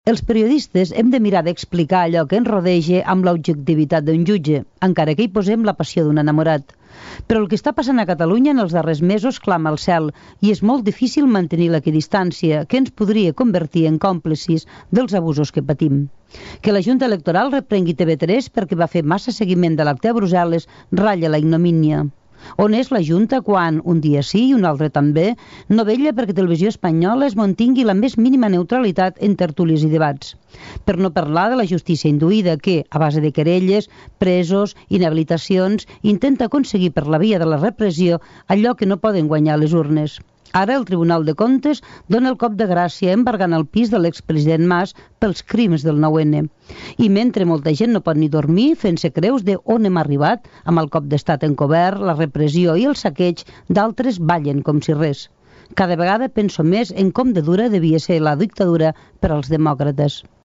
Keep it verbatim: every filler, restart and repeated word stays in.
Els periodistes hem de mirar d'explicar allò que ens rodeja amb l'objectivitat d'un jutge, encara que hi posem la passió d'un enamorat. Però el que està passant a Catalunya en els darrers mesos clama al cel i és molt difícil mantenir l'equidistància que ens podria convertir en còmplices dels abusos que patim. Que la Junta Electoral reprengui T V tres perquè va fer massa seguiment de l'acte a Brussel·les ratlla la ignomínia. On és la Junta quan, un dia sí i un altre també, no vetlla perquè Televisió Espanyola es mantingui la més mínima neutralitat en tertúlies i debats? Per no parlar de la justícia induïda que, a base de querelles, presos, inhabilitacions, intenta aconseguir per la via de la repressió allò que no poden guanyar les urnes. Ara el Tribunal de Comptes dona el cop de gràcia embargant el pis de l'expresident Mas pels crims del nou ene. I mentre molta gent no pot ni dormir fent-se creus de on hem arribat, amb el cop d'estat encobert, la repressió i el saqueig, d'altres ballen com si res. Cada vegada penso més en com de dura devia ser la dictadura per als demòcrates.